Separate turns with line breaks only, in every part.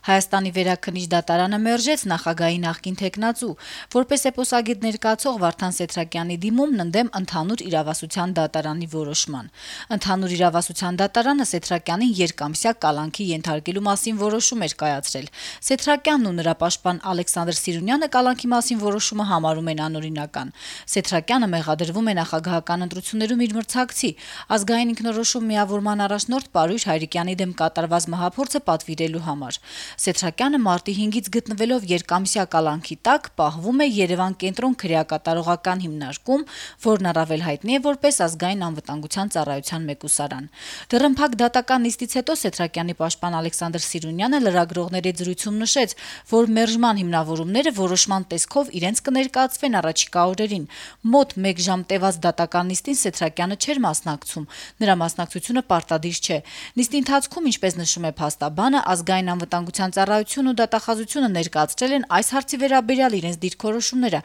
Հայաստանի վերաքննիչ դատարանը մերժեց նախագահի նախկին թեկնածու, որպես էպոսագետ ներկայացող Վարդան Սեթրակյանի դիմումն ընդդեմ ընդհանուր իրավասության դատարանի որոշման։ Ընդհանուր իրավասության դատարանը Սեթրակյանին երկամսյա կալանքի ենթարկելու մասին որոշում էր կայացրել։ Սեթրակյանն ու նրա պաշտպան Ալեքսանդր Սիրունյանը կալանքի մասին որոշումը համարում են անօրինական։ Սեթրակյանը մեղադրվում է նախագահական ընտրություններում իր մրցակցի ազգային ինքնորոշում միավորման առաջնորդ Պարույր Հայրիկյանի դեմ կատարված մահափորձը պատվիրելու համար։ Սեթրակյանը մարտի 5-ից գտնվելով երկամսյա կալանքի տակ պահվում է Երևան կենտրոն քրեակատարողական հիմնարկում, որն առավել հայտնի է որպես ազգային անվտանգության ծառայության մեկուսարան։ Դռնփակ դատական նիստից հետո Սեթրակյանի պաշտպան Ալեքսանդր Սիրունյանը լրագրողների հետ զրույցում նշեց, որ մերժման հիմնավորումները որոշման տեսքով իրենց կներկայացվեն առաջիկա օրերին։ Մոտ 1 ժամ տևած դատական նիստին Սեթրակյանը չէր մասնակցում, նրա մասնակցությունը պարտադիր չէ։ Նիստի ընթացքում, ինչպես նշում է փաստաբանը, ազգային անվտանգության ծառայությունն ու դատախազությունը ներկայացրել են այս հարցի վերաբերյալ իրենց դիրքորոշումները։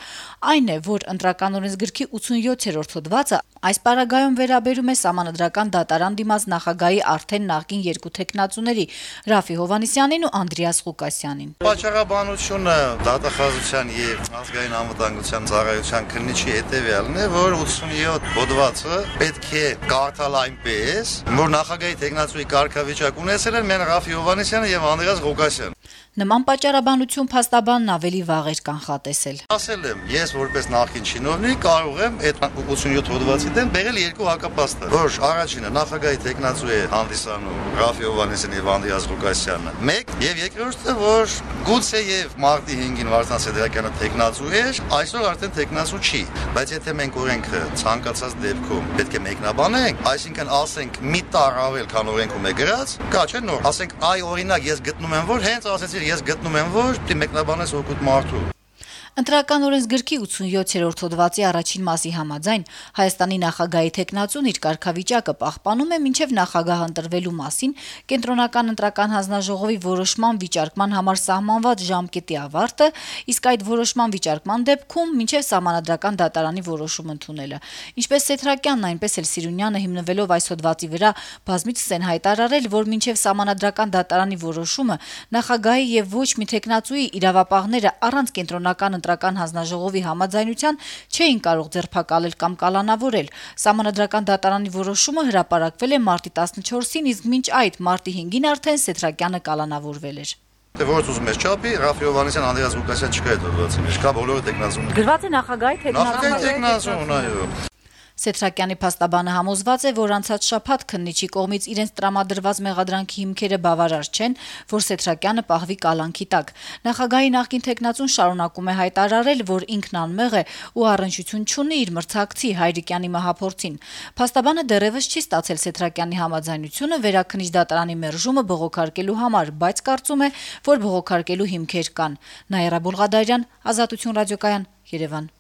Այն է, որ ընտրական օրենսգրքի 87-րդ հոդվածը այս պարագայում վերաբերում է Սահմանադրական դատարան դիմաց նախագահի արդեն նախկին երկու թեկնածուների՝ Ռաֆի Հովհաննիսյանին ու Անդրեաս Ղուկասյանին։
Պատճառաբանությունը դատախազության եւ ազգային անվտանգության ծառայության քննիչի հետեւյալն է, որ 87 հոդվածը պետք է կարդալ այնպես, որ նախագահի թեկնածուի կարգավիճակ ունեցել են մեն Ռաֆի Հովհաննիսյանը եւ Անդրեաս Ղուկասյանը։
Նման պատճառաբանություն փաստաբանն ավելի վաղ էր կանխատեսել։
Ասել եմ, ես որպես նախկին չինովնիկ կարող եմ այդ 87 հոդվածի դեմ բերել երկու հակապաստառ, որ առաջինը նախագահի թեկնածու է հանդիսանում Ռաֆի Հովհաննիսյանը եւ Անդրեաս Ղուկասյանը, մեկ, եւ երկրորդը, որ գուցե եւ մարտի 5-ին Վարդան Սեթրակյանը թեկնածու էր, այսօր արդեն թեկնածու չի, բայց եթե մենք օրենքը ցանկացած դեպքում պետք է մեկնաբանենք, այսինքն ասենք մի տար ավել, քան օրենքում է գրած, կա չէ՞ նոր, ասենք այ օրինակ ես գտնում եմ, որ հենց ասեցի ես գտնում եմ, որ դի մեկնաբանես օգուտ մարդու։
Ընտրական օրենսգրքի 87-րդ հոդվածի առաջին մասի համաձայն Հայաստանի նախագահի թեկնածուն իր կարգավիճակը պահպանում է մինչև նախագահ ընտրվելու մասին կենտրոնական ընտրական հանձնաժողովի որոշման վիճարկման համար սահմանված ժամկետի ավարտը, իսկ այդ որոշման վիճարկման դեպքում մինչև Սահմանադրական դատարանի որոշում ընդունելը։ Ինչպես Սեթրակյանն, այնպես էլ Սիրունյանը հիմնվելով այս հոդվածի վրա բազմիցս են հայտարարել, որ մինչև Սահմանադրական դատարանի որոշումը նախագահի եւ ոչ մի թեկնածուի իրավապահները առանց կենտրոնական ընտրական հանձնաժողովի համաձայնության չէին կարող ձերբակալել կամ կալանավորել։ Սահմանադրական դատարանի որոշումը հրապարակվել է մարտի 14-ին, իսկ մինչ այդ մարտի 5-ին արդեն Սեթրակյանը կալանավորվել էր։
Որց ուզում ես չափի, Ռաֆի Հովհաննիսյան, Անդրեաս Ղուկասյան չկա այդ հոդվածի մեջ, կա բոլորը թեկնածուներ։
Գրված է նախագահի
թեկնածուն, այո։
Սեթրակյանի փաստաբանը համոզված է, որ անցած շաբաթ քննիչի կողմից իրենց տրամադրված մեղադրանքի հիմքերը բավարար չեն, որ Սեթրակյանը պահվի կալանքի տակ։ Նախագահի նախկին թեկնածուն շարունակում է հայտարարել, որ ինքն անմեղ է ու առնչություն չունի իր մրցակցի Հայրիկյանի մահափորձին։ Փաստաբանը դեռևս չի ստացել Սեթրակյանի համաձայնությունը վերաքննիչ դատարանի մերժումը բողոքարկելու համար, բայց կարծում է, որ բողոքարկելու հիմքեր կան։ Նաիրա Բուլղադարյան, Ազատություն ռադիոկայան, Երևան։